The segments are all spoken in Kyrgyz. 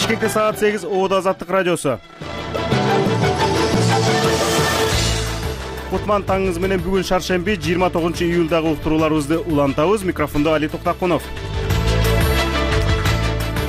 Бишкекте саат 8 Оода Азаттык радиосу. Кутман таңыңыз менен бүгүн шаршемби 29-июлдагы уктурууларыбызды улантабыз. Микрофондо Али Токтакунов.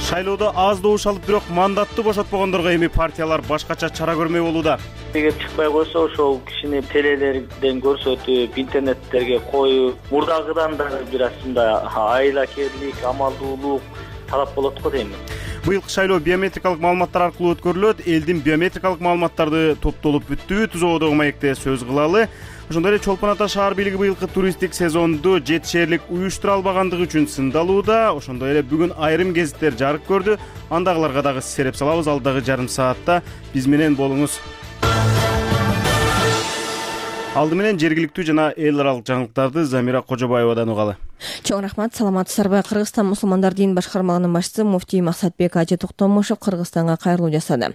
Шайлоодо аз добуш алып, бирок мандатты бошотпогондорго эми партиялар башкача чара көрмөй болууда. Эгер чыкпай койсо, ошол кишини телелерден көрсөтүп, интернеттерге коюп, мурдагыдан дагы бир асында айлакерлик, амалдуулук талап болот го дейм. Быйылкы шайлоо биометрикалык маалыматтар аркылуу өткөрүлөт. Элдин биометрикалык маалыматтарды топтолуп бүттүбү? Түзоодогу маекте сөз кылалы. Ошондой эле Чолпон Ата шаар бийлиги быйылкы туристтик сезонду жетишерлик уюштура албагандыгы үчүн сындалууда. Ошондой эле бүгүн айрым гезиттер жарык көрдү. Андагыларга дагы сереп салабыз. Алдагы жарым саатта биз менен болуңуз. Алды менен жергиликтүү жана эл аралык жаңылыктарды Замира Кожобаевадан угалы. Чоң рахмат, саламатсыздарбы? Кыргызстан мусулмандар дин башкармалыгынын башчысы муфтий Максатбек Ажы Токтомушев Кыргызстанга кайрылуу жасады.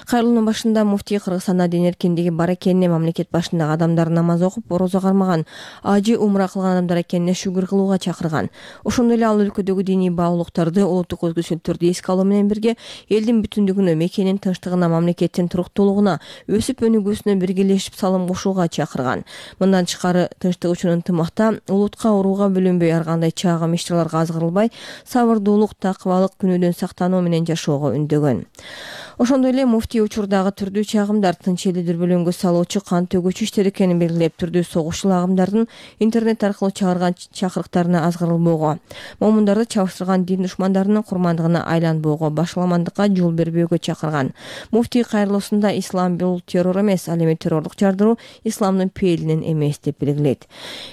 Кайрылуунун башында муфтий Кыргызстанда дин эркиндиги бар экенине, мамлекет башындагы адамдар намаз окуп, орозо кармаган, ажы умра кылган адамдар экенине шүгүр кылууга чакырган. Ошондой эле ал өлкөдөгү диний баалуулуктарды, улуттук өзгөчөлүктөрдү эске алуу менен бирге элдин бүтүндүгүнө, мекенин тынчтыгына, мамлекеттин туруктуулугуна, өсүп өнүгүүсүнө биргелешип салым кошууга чакырган. Мындан тышкары тынчтык үчүн ынтымакта, улутка урууга бөлүнбөй, ар кандай чаагым ишчиларга азгырылбай, сабырдуулук, такыбалык, күнөөдөн сактануу менен жашоого үндөгөн. Ошондой эле муфтий учурдагы түрдүү чагымдар, тынч элди дүрбөлөңгө салуучу кан төгүүчү иштер экенин белгилеп, түрдүү согушчул агымдардын интернет аркылуу чыгарган чакырыктарына азгырылбоого, момундарды чабыштырган дин душмандарынын курмандыгына айланбоого, башаламандыкка жол бербөөгө чакырган. Муфтий кайрылуусунда ислам бул террор эмес, ал эми террорлук жардыруу исламдын пейилинен эмес деп белгилейт.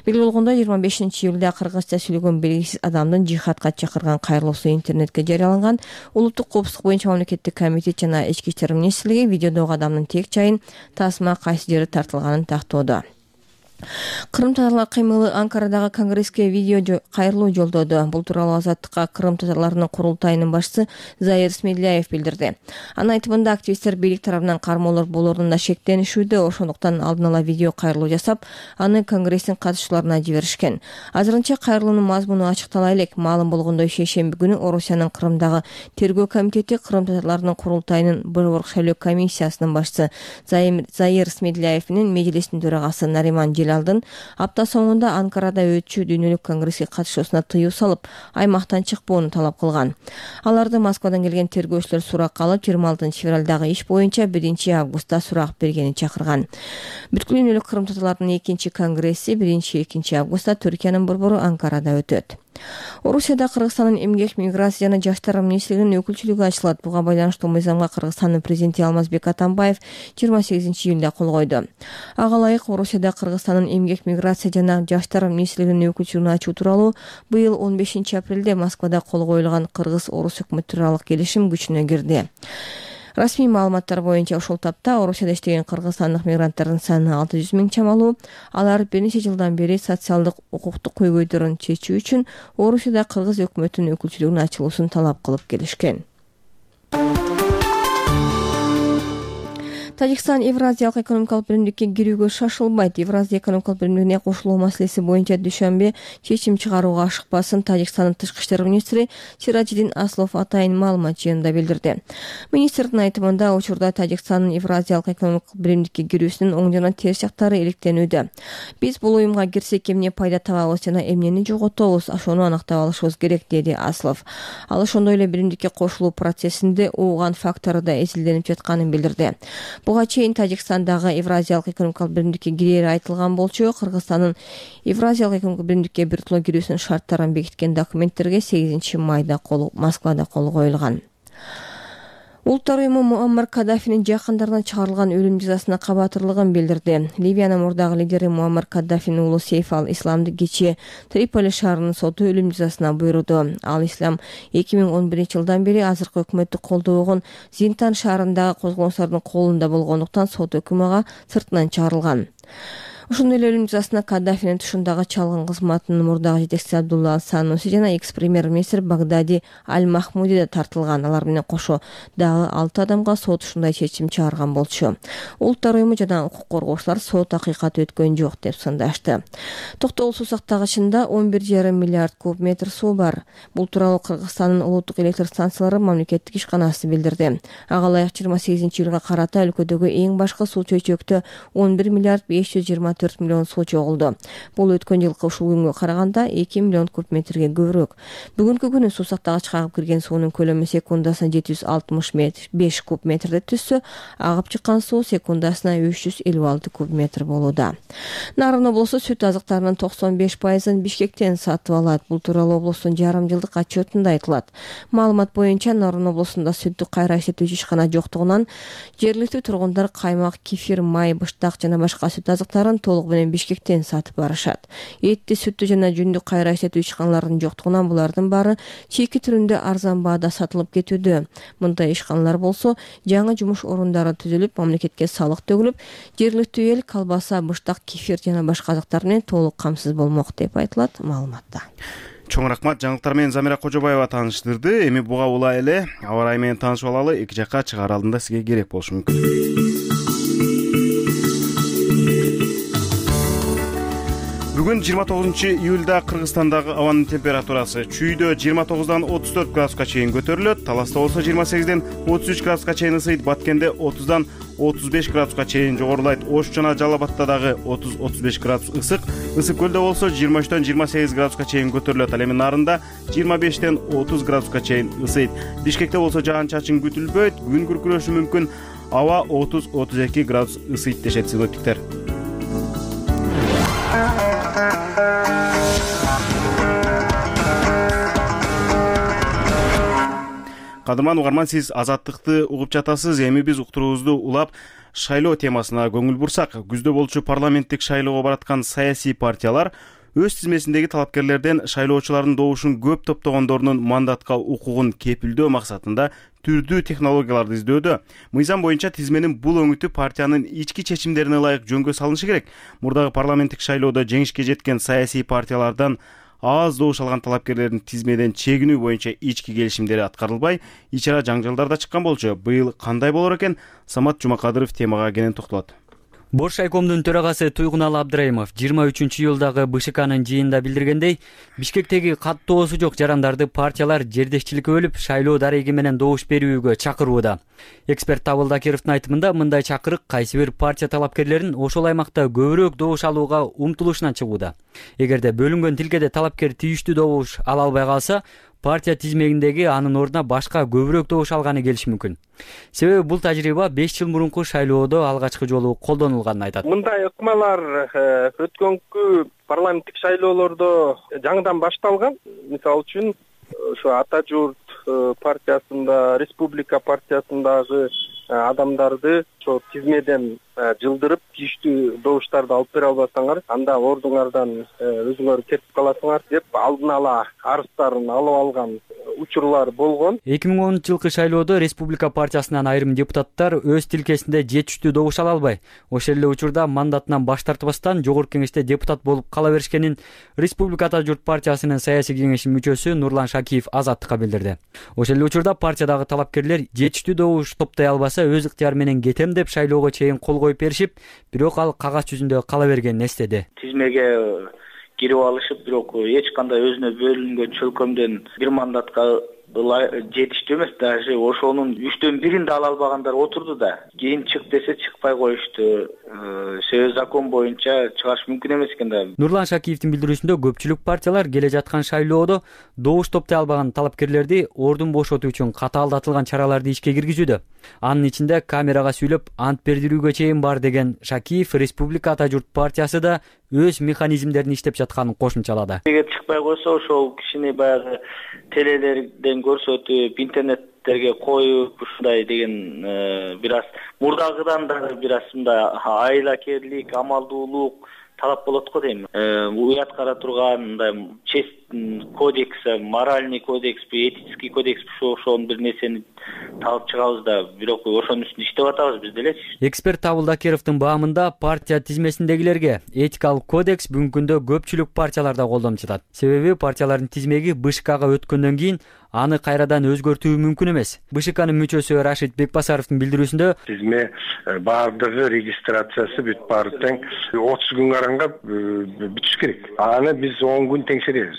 Белгилүү болгондой, 25-июлда кыргызча сүйлөгөн белгисиз адамдын жихадка чакырган кайрылуусу интернетке жарыяланган. Улуттук коопсуздук боюнча мамлекеттик комитет жана ички иштер министрлиги видеодогу адамдын тек жайын, тасма кайсы жери тартылганын тактоодо. Кырым татарлар кыймылы Анкарадагы конгресске видео кайрылуу жолдоду. Бул тууралуу Азаттыкка Кырым татарларынын курултайынын башчысы Заир Смедляев билдирди. Анын айтымында, активисттер бийлик тарабынан кармоолор болоруна шектенишүүдө, ошондуктан алдын ала видео кайрылуу жасап, аны конгресстин катышчыларына жиберишкен. Азырынча кайрылуунун мазмуну ачыктала элек. Маалым болгондой, шейшемби күнү Орусиянын Кырымдагы тергөө комитети Кырым татарларынын курултайынын борборлук шайлоо комиссиясынын башчысы Заир Смедляев менен межлистин төрагасы Нариман Алдын апта соңунда Анкарада өтчү дүйнөлүк конгресске катышуусуна тыюу салып, аймактан чыкпоону талап кылган. Аларды Москвадан келген тергөөчүлөр суракка алып, 26-февралдагы иш боюнча 1-августта сурак бергени чакырган. Бүткүл дүйнөлүк Кырым татарларынын 2-чи конгресси 1-2 августта Түркиянын борбору Анкарада өтөт. Орусияда Кыргызстандын эмгек, миграция жана жаштар министрлигинин өкүлчүлүгү ачылат. Буга байланыштуу мыйзамга Кыргызстандын президенти Алмазбек Атамбаев 28-июлда кол койду. Ага ылайык Орусияда Кыргызстандын эмгек, миграция жана жаштар министрлигинин өкүлчүлүгүн ачуу тууралуу быйыл 15-апрелде Москвада кол коюлган Кыргыз-Орус өкмөттөр аралык келишим күчүнө кирди. Расмий маалыматтар боюнча ошол тапта Орусияда иштеген кыргызстандык мигранттардын саны 600 000 чамалуу. Алар бир нече жылдан бери социалдык укуктук көйгөйлөрүн чечүү үчүн Орусияда Кыргыз өкмөтүнүн өкүлчүлүгүнүн ачылуусун талап кылып келишкен. Тажикстан Евразиялык экономикалык биримдикке кирүүгө шашылбайт. Евразия экономикалык биримдигине кошулуу маселеси боюнча дүйшөмбү чечим чыгарууга ашыкпасын Тажикстандын тышкы иштер министри Сиражиддин Аслов атайын маалымат жыйынында билдирди. Министрдин айтымында, учурда Тажикстандын Евразиялык экономикалык биримдикке кирүүсүнүн оң жана терс жактары иликтенүүдө. Биз бул уюмга кирсек эмне пайда табабыз жана эмнени жоготобуз, ошону анактап алышыбыз керек, деди Аслов. Ал ошондой эле биримдикке кошулуу процессинде уган фактору да эсилденип жатканын билдирди. Буга чейин Тажикстандагы Евразиялык экономикалык биримдикке кирери айтылган болчу. Кыргызстандын Евразиялык экономикалык биримдикке биртула кирүүсүнүн шарттарын бекиткен документтерге 8 майда Москвада кол коюлган. Улуттар уюму Муаммар Каддафинин жакындарына чыгарылган өлүм жазасына кабатырлыгын билдирди. Ливиянын мурдагы лидери Муаммар Каддафинин уулу Сейф ал-Исламды кечээ Триполи шаарынын соту өлүм жазасына буйруду. Ал-Ислам 2011-жылдан бери азыркы өкмөттү колдобогон Зинтан шаарындагы козголоңчулардын колунда болгондуктан сот өкүмү ага сыртынан чыгарылган. Ошондой эле өлүм жазасына Каддафинин тушундагы чалгын кызматынын мурдагы жетекчиси Абдулла Сануси жана экс-премьер-министр Багдади Аль-Махмуди да тартылган. Алар менен кошо дагы 6 адамга сот ушундай чечим чыгарган болчу. Улуттар уюму жана укук коргоочулар сот акыйкат өткөн жок деп сындашты. Токтогул суу сактагычында 11,5 миллиард куб метр суу бар. Бул тууралуу Кыргызстандын улуттук электр станциялары мамлекеттик ишканасы билдирди. Ага ылайык 28-июлга карата өлкөдөгү эң башкы суу чөйчөктө 11 миллиард 524 миллион суу чогулду. Бул өткөн жылкы ушул күнгө караганда 2 миллион куб метрге көбүрөөк. Бүгүнкү күнү суу сактагычка агып кирген суунун көлөмү секундасына 765 куб метрди түзсө, агып чыккан суу секундасына 356 куб метр болууда. Нарын облусу сүт азыктарынын 95%-ын Бишкектен сатып алат. Бул тууралуу облустун жарым жылдык отчетунда айтылат. Маалымат боюнча Нарын облусунда сүттү кайра иштетүүчү ишкана жоктугунан жергиликтүү тургундар каймак, кефир, май, быштак жана башка сүт азыктарын толугу менен Бишкектен сатып барышат. Этти, сүттү жана жүндү кайра иштетүү ишканаларынын жоктугунан булардын баары чийки түрүндө арзан баада сатылып кетүүдө. Мындай ишканалар болсо жаңы жумуш орундары түзүлүп, мамлекетке салык төгүлүп, жергиликтүү эл колбаса, быштак, кефир жана башка азыктар менен толук камсыз болмок деп айтылат маалыматта. Чоң рахмат. Жаңылыктар менен Замира Кожобаева тааныштырды. Эми буга улай эле аба ырайы менен таанышып алалы. Эки жакка чыгаар алдында сизге керек болушу мүмкүн. Бүгүн 29-июлда Кыргызстандагы абанын температурасы чүйдө 29-дан 34 градуска чейин көтөрүлөт, Таласта болсо 28-ден 33 градуска чейин ысыйт, Баткенде 30-дан 35 градуска чейин жогорулайт. Ош жана Жалал Абадта дагы 30-35 градус ысык. Ысык көлдө болсо 23-төн 28 градуска чейин көтөрүлөт. Ал эми Нарында 25-тен 30 градуска чейин ысыйт. Бишкекте болсо жаан-чачын күтүлбөйт, күн күркүрөшү мүмкүн. Аба 30-32 градус ысыйт дешет синоптиктер. Кадырман угарман, сиз Азаттыкты угуп жатасыз. Эми биз уктуруубузду улап шайлоо темасына көңүл бурсак, күздө болчу парламенттик шайлоого бараткан саясий партиялар өз тизмесиндеги талапкерлерден шайлоочулардын добушун көп топтогондорунун мандатка укугун кепилдөө максатында түрдүү технологияларды издөөдө. Мыйзам боюнча тизменин бул өңүтү партиянын ички чечимдерине ылайык жөнгө салынышы керек. Мурдагы парламенттик шайлоодо жеңишке жеткен саясий партиялардан аз добуш алган талапкерлердин тизмеден чегинүү боюнча ички келишимдери аткарылбай, ичара жаңжалдар да чыккан болчу. Быйыл кандай болор экен? Самат Жумакадыров темага кенен токтолот. Бош райкомдун төрагасы Туйгуналы Абдрайымов 23-июлдагы БШКнын жыйынында билдиргендей, Бишкектеги каттоосу жок жарандарды партиялар жердешчиликке бөлүп, шайлоо дареги менен добуш берүүгө чакырууда. Эксперт Табыл Дакировдун айтымында, мындай чакырык кайсы бир партия талапкерлерин ошол аймакта көбүрөөк добуш алууга умтулушунан чыгууда. Эгерде бөлүнгөн тилкеде талапкер тийиштүү добуш ала албай калса, партия тизмегиндеги анын ордуна башка көбүрөөк добуш алганы келиши мүмкүн. Себеби бул тажрыйба 5 жыл мурунку шайлоодо алгачкы жолу колдонулганын айтат. Мындай ыкмалар өткөнкү парламенттик шайлоолордо жаңыдан башталган. Мисалы үчүн ошо Ата журт партиясында, Республика партиясындагы адамдарды ошо тизмеден жылдырып, тийиштүү добуштарды алып бере албасаңар, анда ордуңардан өзүңөр кетип каласыңар деп алдын ала арыздарын алып алган учурлар болгон. 2010-жылкы шайлоодо Республика партиясынан айрым депутаттар өз тилкесинде жетиштүү добуш ала албай, ошол эле учурда мандатынан баш тартпастан жогорку кеңеште депутат болуп кала беришкенин Республика Ата журт партиясынын саясий кеңешинин мүчөсү Нурлан Шакиев Азаттыкка билдирди. Ошол эле учурда партиядагы талапкерлер жетиштүү добуш топтой албаса, өз ыктыяры менен кетем деп шайлоого чейин кол коюп беришип, бирок ал кагаз жүзүндө кала бергенин эстеди. Тизмеге кирип алышып, бирок эч кандай өзүнө бөлүнгөн чөлкөмдөн бир мандатка жетиштүү эмес, даже ошонун 3/1 да ала албагандар отурду да. Кийин чык десе чыкпай коюшту. Себеби закон боюнча чыгаш мүмкүн эмес экен да. Нурлан Шакиевдин билдирүүсүндө көпчүлүк партиялар келе жаткан шайлоодо добуш топтой албаган талапкерлерди ордун бошотуу үчүн катаалдатылган чараларды ишке киргизүүдө. Анын ичинде камерага сүйлөп ант бердирүүгө чейин бар деген Шакиев Республика Ата журт партиясы да өз механизмдерин иштеп жатканын кошумчалады. Эгер чыкпай койсо, ошол кишини баягы телелерден көрсөтүп, интернеттерге коюп, ушундай деген бир аз мурдагыдан да бир аз мындай айылакерлик, амалдуулук талап болот го дейм. Уят кара турган, мындай чест кодекс, моральный кодексби, этический кодексби ошонун бир нерсени табып чыгабыз да, бирок ошонун үстүндө иштеп атабыз биз делечи. Эксперт Табыл Дакировдун баамында партия тизмесиндегилерге этикалык кодекс бүгүнкү күндө көпчүлүк партияларда колдонуп жатат. Себеби партиялардын тизмеги БШКга өткөндөн кийин аны кайрадан өзгөртүү мүмкүн эмес. БШКнын мүчөсү Рашид Бекбасаровдун билдирүүсүндө тизме баардыгы регистрациясы бүт баары тең 30 күн карангап бүтүш керек. Аны биз 10 күн теңшеребиз.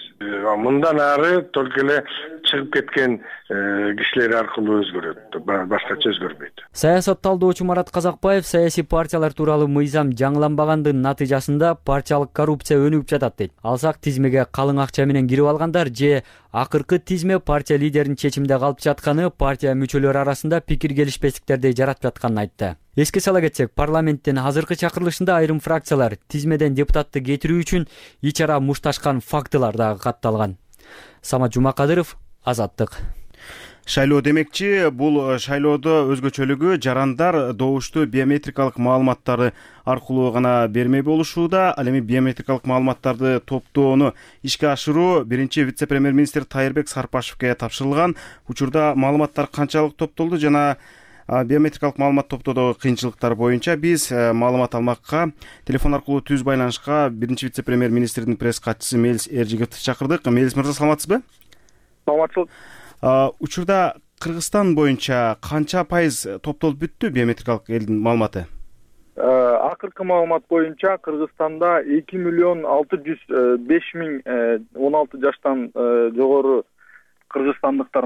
Мындан ары только эле чыгып кеткен кишилер аркылуу өзгөрөт, башкача өзгөрбөйт. Саясат талдоочу Марат Казакбаев саясий партиялар тууралуу мыйзам жаңыланбагандын натыйжасында партиялык коррупция өнүгүп жатат дейт. Алсак тизмеге калың акча менен кирип алгандар же акыркы тизме партия лидеринин чечиминде калып жатканы партия мүчөлөрү арасында пикир келишпестиктерди жаратып жатканын айтты. Эске сала кетсек, парламенттин азыркы чакырылышында айрым фракциялар тизмеден депутатты кетирүү үчүн ич ара мушташкан фактылар дагы катталган. Самат Жумакадыров, Азаттык. Шайлоо демекчи, бул шайлоодо өзгөчөлүгү жарандар добушту биометрикалык маалыматтарды аркылуу гана бермей болушууда. Ал эми биометрикалык маалыматтарды топтоону ишке ашыруу биринчи вице-премьер-министр Тайырбек Сарпашевке тапшырылган. Учурда маалыматтар канчалык топтолду жана биометрикалык маалымат топтоодогу кыйынчылыктар боюнча биз маалымат алмакка телефон аркылуу түз байланышка биринчи вице-премьер-министрдин пресс катчысы Мелис Эржиговду чакырдык. Мелис мырза, саламатсызбы? Саламатчылык. Учурда Кыргызстан боюнча канча пайыз топтолуп бүттү биометрикалык элдин маалыматы? Акыркы маалымат боюнча Кыргызстанда 2.605.000 16 жаштан жогору кыргызстандыктар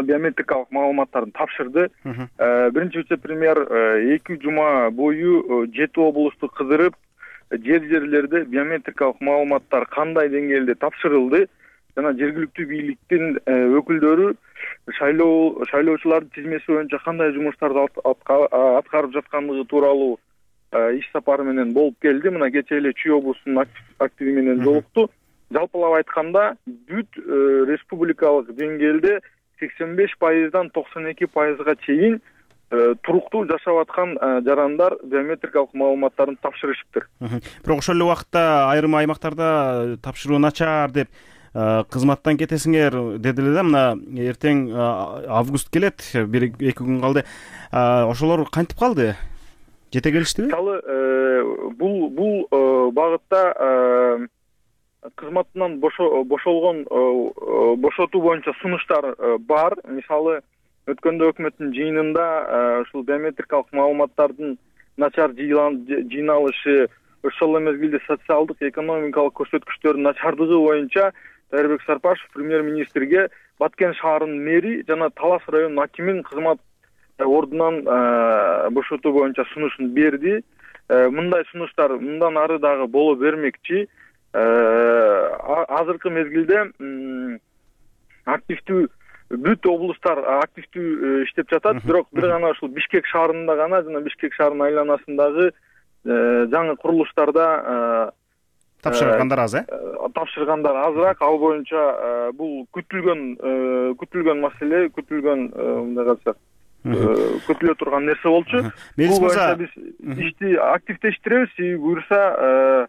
биометрикалык маалыматтарын тапшырды. Биринчи вице-премьер 2 жума бою 7 облусту кыдырып, жерлерде биометрикалык маалыматтар кандай деңгээлде тапшырылды жана жергиликтүү бийликтин өкүлдөрү шайлоочулардын тизмеси боюнча кандай жумуштарды аткарып жаткандыгы тууралуу иш сапары менен болуп келди. Мына кечээ эле Чүй облусунун активи менен жолукту. Жалпылап айтканда бүт республикалык деңгээлде 85%дан 92%га чейин туруктуу жашап аткан жарандар биометрикалык маалыматтарын тапшырышыптыр. Бирок ошол эле убакытта айрым аймактарда тапшыруу начар деп кызматтан кетесиңер дедилер да. Мына эртең август келет, 1-2 күн калды. Ошолор кантип калды? Жете келиштиби? Мисалы бул багытта кызматынан бошотуу боюнча сунуштар бар. Мисалы өткөндө өкмөттүн жыйынында ушул биометрикалык маалыматтардын начар жыйналышы, ошол эле мезгилде социалдык, экономикалык көрсөткүчтөрдүн начардыгы боюнча Тайырбек Сарпашев премьер-министрге Баткен шаарынын мэри жана Талас районунун акимин кызмат ордунан бошотуу боюнча сунушун берди. Мындай сунуштар мындан ары дагы боло бермекчи. Азыркы мезгилде активдүү бүт облустар активдүү иштеп жатат, бирок бир гана ушул Бишкек шаарында гана жана Бишкек шаарынын айланасындагы жаңы курулуштарда тапшыргандар аз, тапшыргандар азыраак. Ал боюнча бул күтүлгөн маселе, мындай калса күтүлө турган нерсе болчу. Бул боюнча биз ишти активдештиребиз, буюрса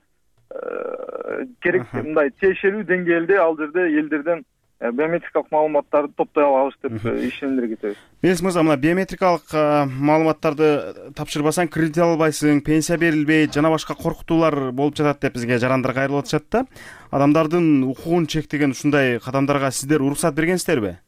керек мындай тиешелүү деңгээлде ал жерде элдерден биометрикалык маалыматтарды топтой алабыз деп ишендиргитебиз. Мелис мырза, мына биометрикалык маалыматтарды тапшырбасаң кредит ала албайсың, пенсия берилбейт, жана башка коркутуулар болуп жатат деп бизге жарандар кайрылып атышат да. Адамдардын укугун чектеген ушундай кадамдарга сиздер уруксат бергенсиздерби?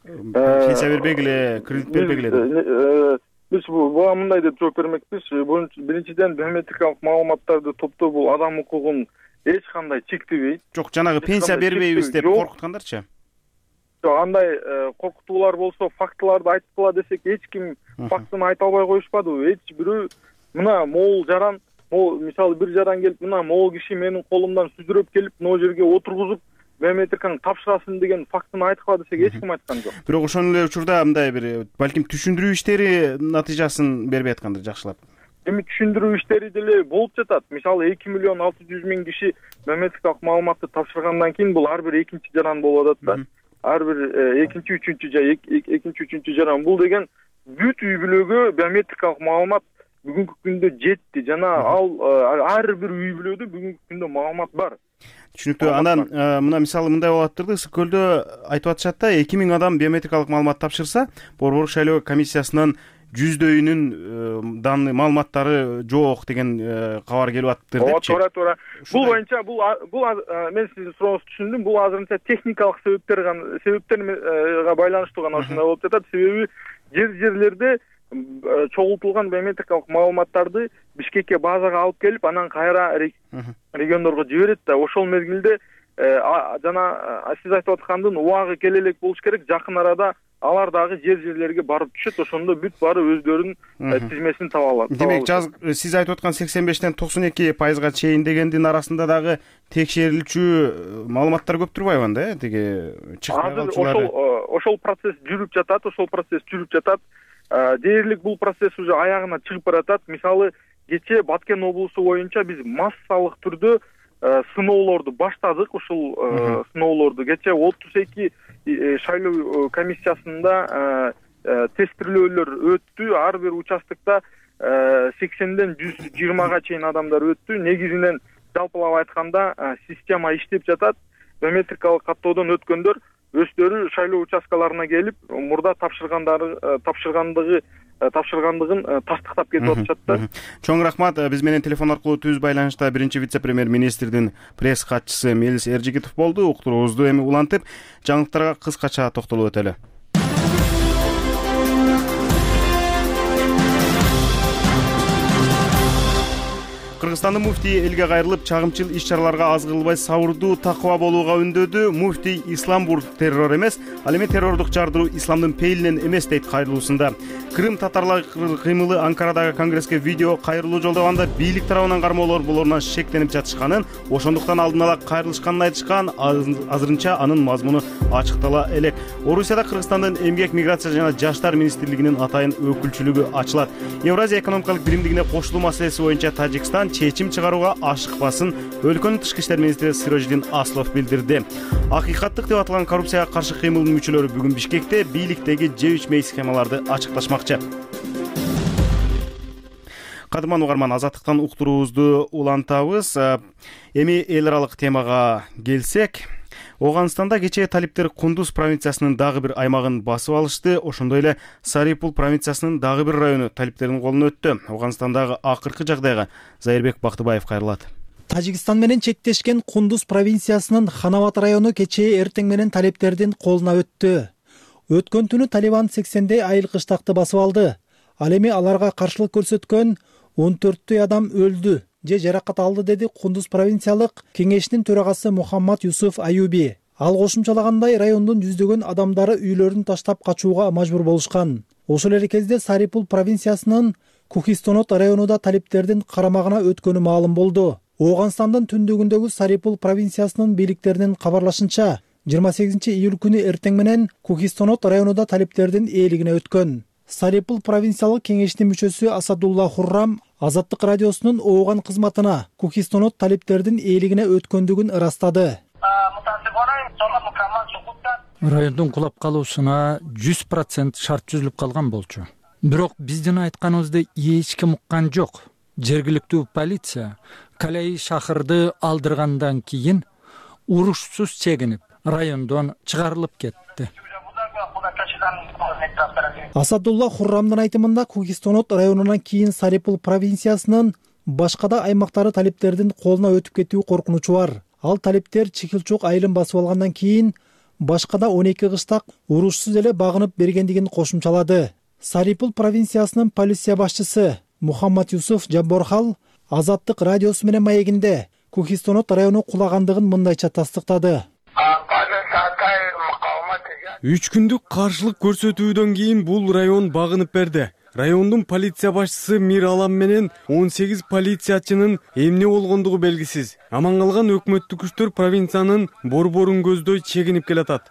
Пенсия бербегиле, кредит бербегиле деп. Биз буга мындай деп жооп бермекпиз. Биринчиден биометрикалык маалыматтарды топтоо бул адам укугун эч кандай чектебейт. Жок, жанагы пенсия бербейбиз деп коркуткандарчы? Жок, андай коркутуулар болсо, фактыларды айткыла десек, эч ким фактын айта албай коюшпадыбы? Эч бирөө мына могул жаран, мисалы бир жаран келип, мына могул киши менин колумдан сүзүрөп келип, могу жерге отургузуп биометриканы тапшырасын деген фактын айткыла десек, эч ким айткан жок. Бирок ошол эле учурда мындай бир балким түшүндүрүү иштери натыйжасын бербей аткандыр жакшылап. Эми түшүндүрүү иштери деле болуп жатат. Мисалы 2.600.000 киши биометрикалык маалыматты тапшыргандан кийин бул ар бир экинчи жаран болуп атат да. Ар бир экинчи, үчүнчү жаран. Бул деген бүт үй бүлөгө биометрикалык маалымат бүгүнкү күндө жетти жана ал ар бир үй бүлөдө бүгүнкү күндө маалымат бар. Түшүнүктүү. Андан мына мисалы мындай болуп атырды, Ысык көлдө айтып атышат да, 2000 адам биометрикалык маалымат тапшырса, Борбордук шайлоо комиссиясынан 100дөйүнүн данный маалыматтары жок деген кабар келип атыптыр депчи. Туура. Бул боюнча бул мен сиздин сурооңузду түшүндүм. Бул азырынча техникалык себептерге байланыштуу гана ушундай болуп жатат. Себеби жерлерде чогултулган биометрикалык маалыматтарды Бишкекке базага алып келип, анан кайра региондорго жиберет да. Ошол мезгилде жана сиз айтып аткандын убагы келе элек болуш керек. Жакын арада алар дагы жерлерге барып түшөт. Ошондо бүт баары өздөрүнүн тизмесин таба алат. Демек, сиз айтып аткан 85-тен 92% чейин дегендин арасында дагы текшерилчү маалыматтар көп турбайбы анда, тиги чыкпай калчулары? Ошол процесс жүрүп жатат. Дээрлик бул процесс уже аягына чыгып баратат. Мисалы, кечээ Баткен облусу боюнча биз массалык түрдө сыноолорду баштадык. Ушул сыноолорду кечээ 32 шайлоо комиссиясында тестирлөөлөр өттү. Ар бир участокто 80ден 120га чейин адамдар өттү. Негизинен жалпылап айтканда система иштеп жатат. Биометрикалык каттоодон өткөндөр өздөрү шайлоо участкаларына келип, мурда тапшыргандыгын тастыктап кетип атышат да. Чоң рахмат. Биз менен телефон аркылуу түз байланышта биринчи вице-премьер-министрдин пресс катчысы Мелис Эржигитов болду. Уктуруубузду эми улантып, жаңылыктарга кыскача токтолуп өтөлү. Кыргызстандын муфтийи элге кайрылып, чагымчыл иш-чараларга аз кылбай сабырдуу, такыба болууга үндөдү. Муфтий ислам бул террор эмес, ал эми террордук жардыруу исламдын пейилинен эмес дейт кайрылуусунда. Крым татарлары кыймылы Анкарадагы конгресске видео кайрылуу жолдоганда бийлик тарабынан кармоолор буларынан шектенип жатышканын, ошондуктан алдын ала кайрылышканын айтышкан. Азырынча анын мазмуну ачыктала элек. Орусияда Кыргызстандын эмгек, миграция жана жаштар министрлигинин атайын өкүлчүлүгү ачылат. Евразия экономикалык биримдигине кошулуу маселеси боюнча Тажикстан чечим чыгарууга ашыкпасын өлкөнүн тышкы иштер министри Сирожидин Аслов билдирди. Акыйкаттык деп аталган коррупцияга каршы кыймылдын мүчөлөрү бүгүн Бишкекте бийликтеги Ж3 схемаларды ачыкташмакчы. Кадырман угарман, Азаттыктан уктуруубузду улантабыз. Эми эл аралык темага келсек, Оганстанда кечээ талиптер Кундуз провинциясынын дагы бир аймагын басып алышты. Ошондой эле Сарипул провинциясынын дагы бир району талиптердин колуна өттү. Оганстандагы акыркы жагдайга Зайырбек Бактыбаев кайрылат. Тажикстан менен чектешкен Кундуз провинциясынын Ханават району кечээ эртең менен талиптердин колуна өттү. Өткөн түнү Талибан 80дей айыл кыштакты басып алды. Ал эми аларга каршылык көрсөткөн 14 адам өлдү же жаракат алды, деди Кундуз провинциялык кеңешинин төрагасы Мухаммад Юсуф Аюби. Ал кошумчалагандай, райондун жүздөгөн адамдары үйлөрүн таштап качууга мажбур болушкан. Ошол эле кезде Сарипул провинциясынын Кухистонот районунда талиптердин карамагына өткөнү маалым болду. Оганстандын түндүгүндөгү Сарипул провинциясынын бийликтеринин кабарлашынча, 28 июль күнү эртең менен Кухистонот районунда талиптердин ээлигине өткөн. Сарипул провинциялык кеңешинин мүчөсү Асадулла Хуррам Азаттык радиосунун ооган кызматына Кухистонот талиптердин ээлигине өткөндүгүн ырастады. Райондун кулап калуусуна 100% шарт түзүлүп калган болчу. Бирок биздин айтканыбызды эч ким уккан жок. Жергиликтүү полиция Калай шаһырды алдыргандан кийин урушсуз чегинип, райондон чыгарылып кетти. Асадулла Хуррамдын айтымында, Кухистонот районунан кийин Сарипул провинциясынын башка да аймактары талиптердин колуна өтүп кетүү коркунучу бар. Ал талиптер Чекилчок айылын басып алгандан кийин башка да 12 кыштак урушсуз эле багынып бергендигин кошумчалады. Сарипул провинциясынын полиция башчысы Мухаммад Юсуф Жабборхал Азаттык радиосу менен маегинде Кухистонот району кулагандыгын мындайча тастыктады. 3 күндүк каршылык көрсөтүүдөн кийин бул район багынып берди. Райондун полиция башчысы Мир Алам менен 18 полициячынын эмне болгондугу белгисиз. Аман калган өкмөттүк күчтөр провинциянын борборун көздөй чегинип келатат.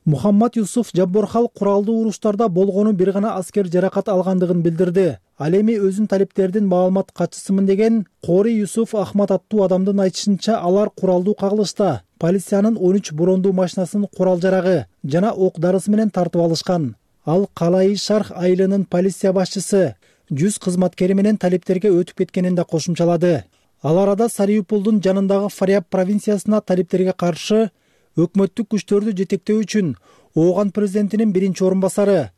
Мухаммад Юсуф Жабборхал куралдуу уруштарда болгону бир гана аскер жаракат алгандыгын билдирди. Ал эми өзүн талиптердин маалымат катчысымын деген Кори Юсуф Ахмат аттуу адамдын айтышынча, алар куралдуу кагылышта полициянын 13 брондуу машинасынын курал жарагы жана ок дарысы менен тартып алышкан. Ал Калай Шарх айылынын полиция башчысы 100 кызматкери менен талиптерге өтүп кеткенин да кошумчалады. Ал арада Сариупулдун жанындагы Фаряб провинциясына талиптерге каршы өкмөттүк күчтөрдү жетектөө үчүн Ооган президентинин биринчи орун басары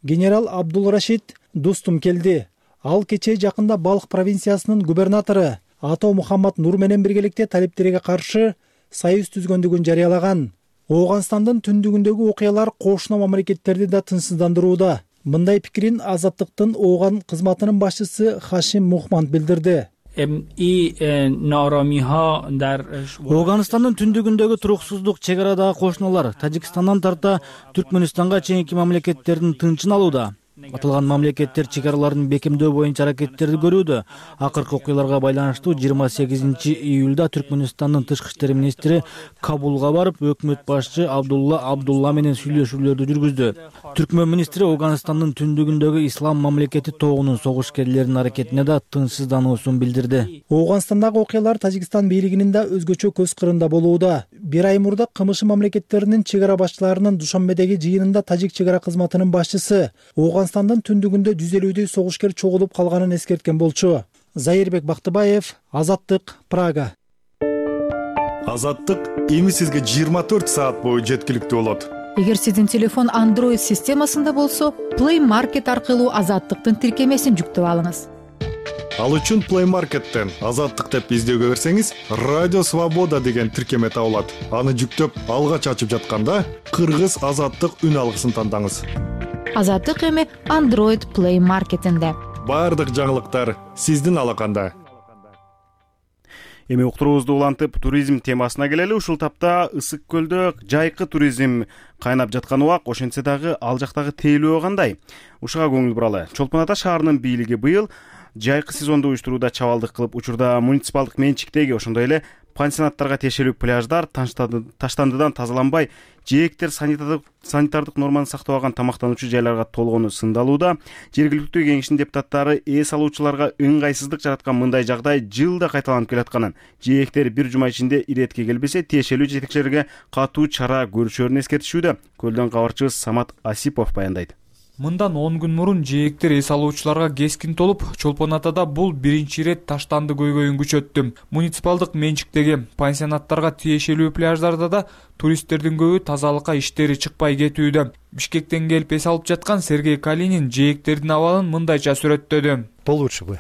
генерал Абдул-Рашид Достум келди. Ал кечээ жакында Балх провинциясынын губернатору Ато Мухаммад Нур менен биргеликте талиптерге каршы союз түзгөндүгүн жарыялаган. Ооганстандын түндүгүндөгү окуялар кошуна мамлекеттерди да тынчсыздандырууда. Мындай пикирин Азаттыктын Ооган кызматынын башчысы Хашим Мухманд билдирди. Ооганстандын түндүгүндөгү туруксуздук, чек арадагы кошуналар Тажикстандан тарта Түркмөнстанга чейинки мамлекеттердин тынчын алууда. Аталган мамлекеттер чек араларын бекемдөө боюнча аракеттерди көрүүдө. Акыркы окуяларга байланыштуу 28 июлда Түркмөнстандын тышкы иштер министри Кабулга барып, өкмөт башчы Абдулла менен сүйлөшүүлөрдү жүргүздү. Түркмөн министри Ооганстандын түндүгүндөгү ислам мамлекети тобунун согушкерлеринин аракетине да тынчсыздануусун билдирди. Ооганстандагы окуялар Тажикстан бийлигинин да өзгөчө көз кырында болууда. Бир ай мурда КМШ мамлекеттеринин чек ара башчыларынын Душанбедеги жыйынында тажик чек ара кызматынын башчысы Ооганстандын түндүгүндө 150 согушкер чогулуп калганын эскерткен болчу. Заирбек Бактыбаев, Азаттык, Прага. Азаттык эми сизге 24 саат бою жеткиликтүү болот. Эгер сиздин телефон Android системасында болсо, Play Market аркылуу Азаттыктын тиркемесин жүктөп алыңыз. Ал үчүн Play Market'тен Азаттык деп издөөгө берсеңиз, Радио Свобода деген тиркеме табылат. Аны жүктөп, алгач ачып жатканда Кыргыз Азаттык үн алгысын тандаңыз. Азаттык эми Android Play Market'инде. Бардык жаңылыктар сиздин алаканда. Эми уктуруубузду улантып, туризм темасына келели. Ушул тапта Ысык көлдө жайкы туризм кайнап жаткан убак, ошентсе дагы ал жактагы тейлөө кандай? Ушуга көңүл буралы. Чолпон Ата шаарынын бийлиги быйыл жайкы сезонду уюштурууда чабалдык кылып, учурда муниципалдык менчиктеги, ошондой эле пансионаттарга тиешелүү пляждар таштандыдан тазаланбай, жээктер санитардык норманы сактабаган тамактануучу жайларга толгону сындалууда. Жергиликтүү кеңештин депутаттары эс алуучуларга ыңгайсыздык жараткан мындай жагдай жылда кайталанып келатканын, жээктер бир жума ичинде иретке келбесе, тиешелүү жетекчилерге катуу чара көрүшөрүн эскертишүүдө. Көлдөн кабарчыбыз Самат Асипов баяндайт. Мындан 10 күн мурун жээктер эс алуучуларга кескин толуп, Чолпон Атада бул биринчи ирет таштанды көйгөйүн күчөттү. Муниципалдык менчиктеги пансионаттарга тиешелүү пляждарда да туристтердин көбү тазалыкка иштери чыкпай кетүүдө. Бишкектен келип эс алып жаткан Сергей Калинин жээктердин абалын мындайча сүрөттөдү. Получше бы,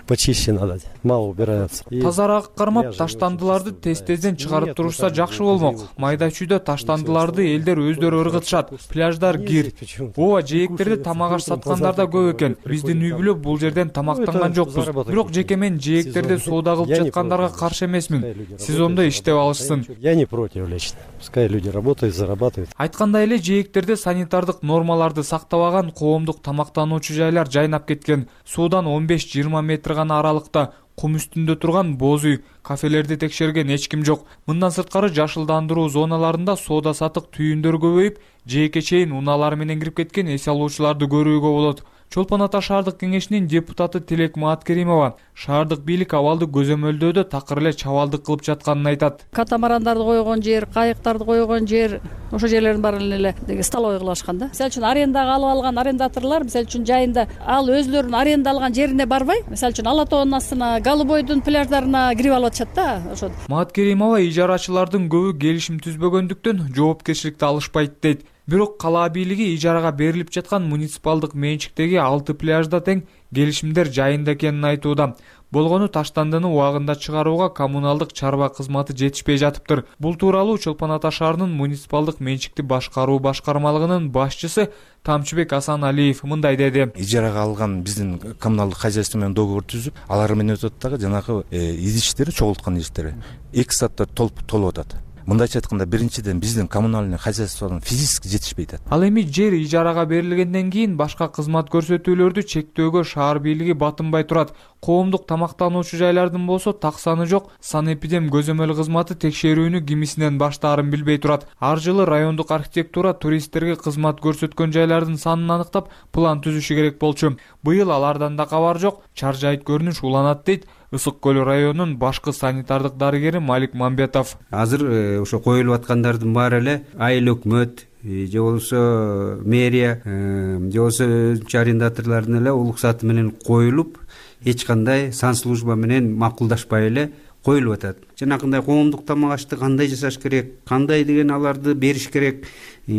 почище надо, мало убираются. Тазараак кармап, таштандыларды тез-тезден чыгарып турушса жакшы болмок. Майда чүйдө таштандыларды элдер өздөрү ыргытышат. Пляждар кир. Ооба, жээктерди тамак аш саткандар да көп экен. Биздин үй бүлө бул жерден тамактанган жокпуз. Бирок жеке мен жээктерди соода кылып жаткандарга каршы эмесмин. Сезондо иштеп алышсын. Я не против лично. Пускай люди работают, зарабатывают. Айткандай эле жээктерде санитардык нормаларды сактабаган коомдук тамактануучу жайлар жайнап кеткен. Суудан 15-20 метр гана аралыкта кум үстүндө турган боз үй, кафелерди текшерген эч ким жок. Мындан сырткары жашылдандыруу зоналарында соода сатык түйүндөр көбөйүп, жээкке чейин унаалар менен кирип кеткен эс алуучуларды көрүүгө болот. Чолпон Ата шаардык кеңешинин депутаты Тилек Мааткеримова шаардык бийлик абалды көзөмөлдөөдө такыр эле чабалдык кылып жатканын айтат. Катамарандарды койгон жер, кайыктарды койгон жер, ошол жерлердин баарын эле столовый кылышкан да. Мисалы үчүн арендага алып алган арендаторлор, мисалы үчүн жайында ал өзлөрүнүн аренда алган жерине барбай, мисалы үчүн Ала тоонун астына, Голубойдун пляждарына кирип алып атышат да, ошо. Мааткеримова ижарачылардын көбү келишим түзбөгөндүктөн жоопкерчиликти алышпайт дейт. Бирок кала бийлиги ижарага берилип жаткан муниципалдык менчиктеги 6 пляжда тең келишимдер жайында экенин айтууда. Болгону таштандыны убагында чыгарууга коммуналдык чарба кызматы жетишпей жатыптыр. Бул тууралуу Чолпон Ата шаарынын муниципалдык менчикти башкаруу башкармалыгынын башчысы Тамчыбек Асаналиев мындай деди. Ижарага алган биздин коммуналдык хозяйство менен договор түзүп, алар менен өтөт дагы жанагы иштери, чогулткан иштери 2 саатта толуп атат. Мындайча айтканда, биринчиден биздин коммунальный хозяйствонун физически жетишпейт. Ал эми жер ижарага берилгенден кийин башка кызмат көрсөтүүлөрдү чектөөгө шаар бийлиги батынбай турат. Коомдук тамактануучу жайлардын болсо так саны жок. Санэпидем көзөмөл кызматы текшерүүнү кимисинен баштаарын билбей турат. Ар жылы райондук архитектура туристтерге кызмат көрсөткөн жайлардын санын аныктап, план түзүшү керек болчу. Быйыл алардан да кабар жок. Чаржайыт көрүнүш уланат дейт Ысык Көл районунун башкы санитардык дарыгери Малик Мамбетов. Азыр ошо коюлуп аткандардын баары эле айыл өкмөт же болбосо мэрия же болбосо өзүнчө арендаторлордун эле уруксаты менен коюлуп, эч кандай санслужба менен макулдашпай эле коюлуп атат. Жанакындай коомдук тамак ашты кандай жасаш керек, кандай деген аларды бериш керек,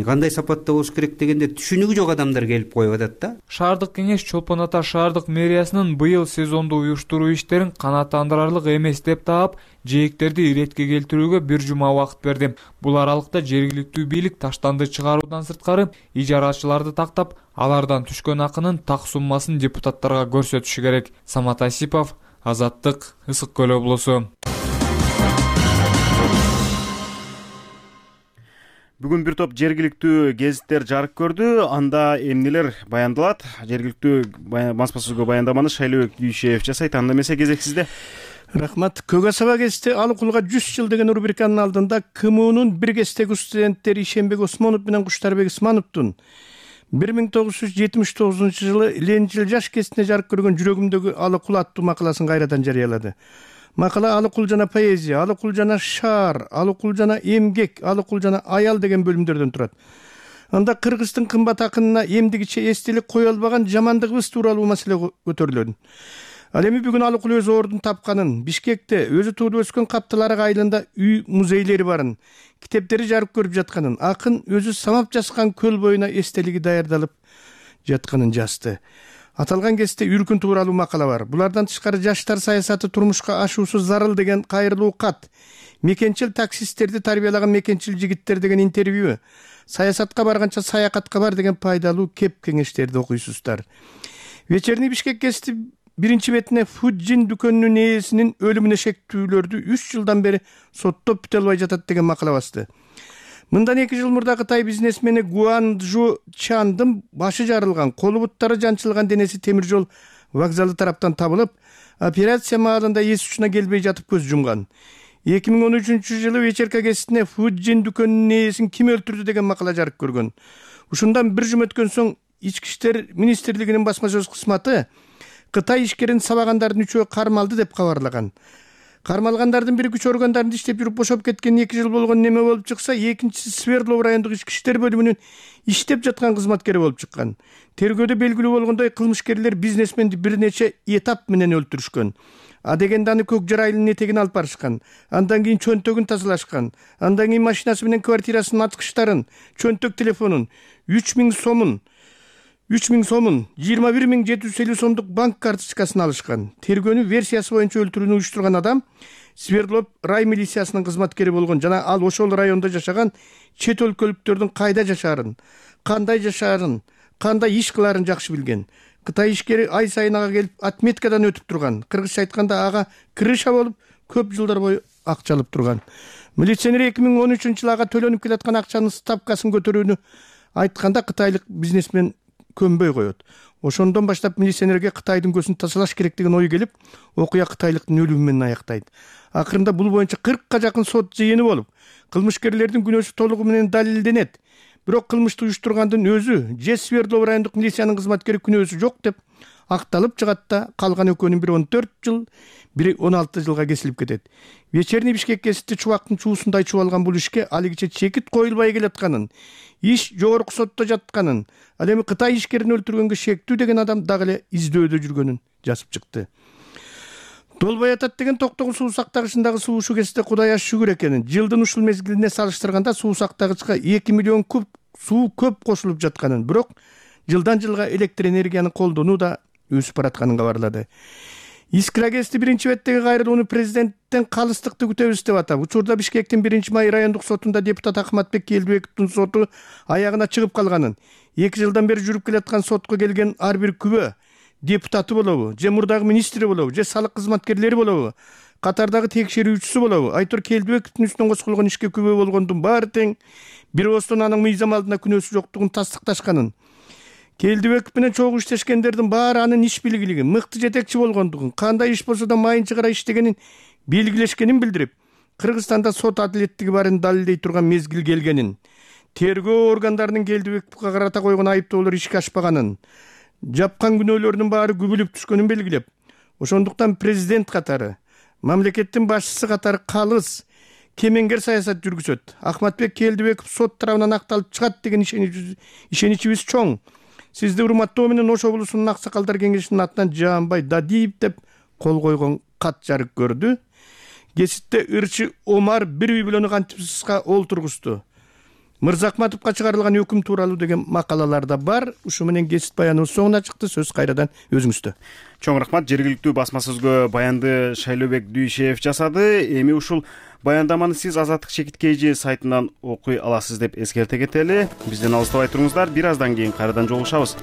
кандай сапатта болуш керек дегенде түшүнүгү жок адамдар келип коюп атат да. Шаардык кеңеш Чолпон Ата шаардык мэриясынын быйыл сезонду уюштуруу иштерин канааттандырарлык эмес деп таап, жээктерди иретке келтирүүгө 1 жума убакыт берди. Бул аралыкта жергиликтүү бийлик таштанды чыгаруудан сырткары ижарачыларды тактап, алардан түшкөн акынын так суммасын депутаттарга көрсөтүшү керек. Самат Асипов, Азаттык, Ысык Көл облусу. Бүгүн бир топ жергиликтүү гезиттер жарык көрдү. Анда эмнелер баяндалат? Жергиликтүү баспасөзгө баяндаманы Шайлообек Дүйшеев жасайт. Анда эмесе кезек сизде. Рахмат. Көк асаба гезити Алыкулга 100 жыл деген рубриканын алдында КМУнун бир кездеги студенттери Ишенбек Осмонов менен Куштарбек Исмановдун 1979 жылы Ленинчил жаш кезинде жарык көргөн жүрөгүмдөгү Алыкул аттуу макаласын кайрадан жарыялады. Макала Алыкул жана поэзия, Алыкул жана шаар, Алыкул жана эмгек, Алыкул жана аял деген бөлүмдөрдөн турат. Анда кыргыздын кымбат акынына эмдигиче эстелик кое албаган жамандыгыбыз тууралуу маселе көтөрүлөт. Ал эми бүгүн Алыкул өз ордун тапканын, Бишкекте өзү туулуп өскөн Каптылары айылында үй музейлери барын, китептери жарык көрүп жатканын, акын өзү самап жазган көл боюна эстелиги даярдалып жатканын жазды. Аталган кезде үркүн тууралуу макала бар. Булардан тышкары жаштар саясаты турмушка ашуусу зарыл деген кайрылуу кат, мекенчил таксисттерди тарбиялаган мекенчил жигиттер деген интервью, саясатка барганча саякатка бар деген пайдалуу кеп кеңештерди окуйсуздар. Вечерний Бишкек гезити биринчи бетине Фуджин дүкөнүнүн ээсинин өлүмүнө шектүүлөрдү 3 жылдан бери соттоп бүтө албай жатат деген макала басты. Мындан 2 жыл мурда Кытай бизнесмени Гуанжу Чандын башы жарылган, колу буттары жанчылган денеси темир жол вокзалы тараптан табылып, операция маалында эс учуна келбей жатып көз жумган. 2013 жылы вечерка гезитине Фуджин дүкөнүнүн ээсин ким өлтүрдү деген макала жарык көргөн. Ушундан 1 жума өткөн соң Ички иштер министрлигинин басмасөз кызматы Кытай ишкерин сабагандардын 3-өө кармалды деп кабарлаган. Кармалгандардын бири күч органдарында иштеп жүрүп бошоп кеткен 2 жыл болгон неме болуп чыкса, экинчиси Свердлов райондук ички иштер бөлүмүнүн иштеп жаткан кызматкери болуп чыккан. Тергөөдө белгилүү болгондой кылмышкерлер бизнесменди бир нече этап менен өлтүрүшкөн. А дегенде аны Көк Жар айылынын этегине алып барышкан. Андан кийин чөнтөгүн тазалашкан. Андан кийин машинасы менен квартирасынын аткычтарын, чөнтөк телефонун, 3000 сомун, 21750 сомдук банк карточкасын алышкан. Тергөөнүн версиясы боюнча өлтүрүүнү уюштурган адам Свердлов рай милициясынын кызматкери болгон жана ал ошол райондо жашаган чет өлкөлүктөрдүн кайда жашаарын, кандай иш кылаарын жакшы билген. Кытай ишкери ай сайын ага келип отметкадан өтүп турган. Кыргызча айтканда ага крыша болуп, көп жылдар бою акча алып турган. Милиционер 2013 жылы ага төлөнүп келаткан акчанын ставкасын көтөрүүнү айтканда кытайлык бизнесмен көнбөй коет. Ошондон баштап милиционерге Кытайдын көзүн тазалаш керек деген ой келип, окуя кытайлыктын өлүмү менен аяктайт. Акырында бул боюнча 40ка жакын сот жыйыны болуп, кылмышкерлердин күнөөсү толугу менен далилденет. Бирок кылмышты уюштургандын өзү же Свердлов райондук милициянын кызматкери күнөөсү жок деп акталып чыгат да, калган экөөнүн бири 14 жыл, бири 16 жылга кесилип кетет. Вечерний Бишкек гезити чубактын чуусундай чубалган бул ишке алигиче чекит коюлбай келатканын, иш жогорку сотто жатканын, ал эми Кытай ишкерин өлтүргөнгө шектүү деген адам дагы эле издөөдө жүргөнүн жазып чыкты. Долбой атат деген Токтогул суу сактагычындагы суу ушу гезите Кудай аш шүгүр экенин, жылдын ушул мезгилине салыштырганда суу сактагычка 2 миллион куб суу көп кошулуп жатканын, бирок жылдан жылга электр энергияны колдонуу да өсүп баратканын кабарлады. Искра гезити биринчи беттеги кайрылууну президенттен калыстыкты күтөбүз деп атап, учурда Бишкектин 1-май райондук сотунда депутат Ахматбек Келдибековдун соту аягына чыгып калганын, 2 жылдан бери жүрүп келаткан сотко келген ар бир күбө депутаты болобу, же мурдагы министри болобу, же салык кызматкерлери болобу, катардагы текшерүүчүсү болобу, Айтор Келдибековдун үстүнөн козголгон ишке күбө болгондун баары тең, бир оостон анын мыйзам алдында күнөөсү жоктугун тастыкташканын, Келдибеков менен чогуу иштешкендердин баары анын иш билгилигин, мыкты жетекчи болгондугун, кандай иш болсо да майын чыгара иштегенин белгилешкенин билдирип, Кыргызстанда сот адилеттиги барын далилдей турган мезгил келгенин, тергөө органдарынын Келдибековго карата койгон айыптоолор ишке ашпаганын, жапкан күнөөлөрдүн баары күбүлүп түшкөнүн белгилеп, ошондуктан президент катары, мамлекеттин башчысы катары калыс кемеңгер саясат жүргүзөт. Ахматбек Келдибеков сот тарабынан акталып чыгат деген ишеничибиз чоң. Сизди урматтоо менен Ош облусунун аксакалдар кеңешинин атынан Жаанбай Дадиев деп кол койгон кат жарык көрдү. Геситте ырчы Омар бир үй бүлөнү кантип сыска олтургузду. Мырзахматовго чыгарылган өкүм тууралуу деген макалалар да бар. Ушу менен гесит баяныбыз соңуна чыкты. Сөз кайрадан өзүңүздө. Чоң рахмат. Жергиликтүү басма сөзгө баянды Шайлообек Дүйшеев жасады. Эми ушул баяндаманы сиз Азаттык чекиткейжи сайтынан окуй аласыз деп эскерте кетели. Бизден алыстабай туруңуздар. Бир аздан кийин кайрадан жолугушабыз.